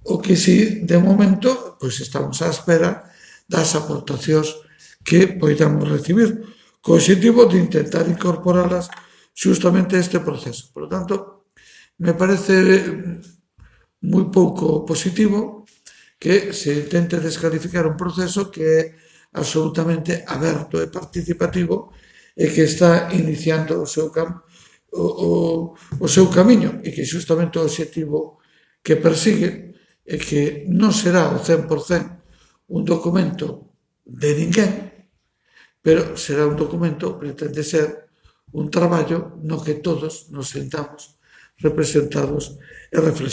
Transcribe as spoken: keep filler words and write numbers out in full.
O que si, de momento, pois estamos á espera das aportacións que poidamos recibir, co obxectivo de intentar incorporalas xustamente a este proceso. Por lo tanto, me parece moi pouco positivo que se intente descalificar un proceso que é absolutamente aberto e participativo e que está iniciando o seu cam o, o, o seu camiño e que xustamente o obxectivo que persigue é que non será o cen por cen un documento de ninguén, pero será un documento, pretende ser un traballo no que todos nos sentamos representados e reflexionamos.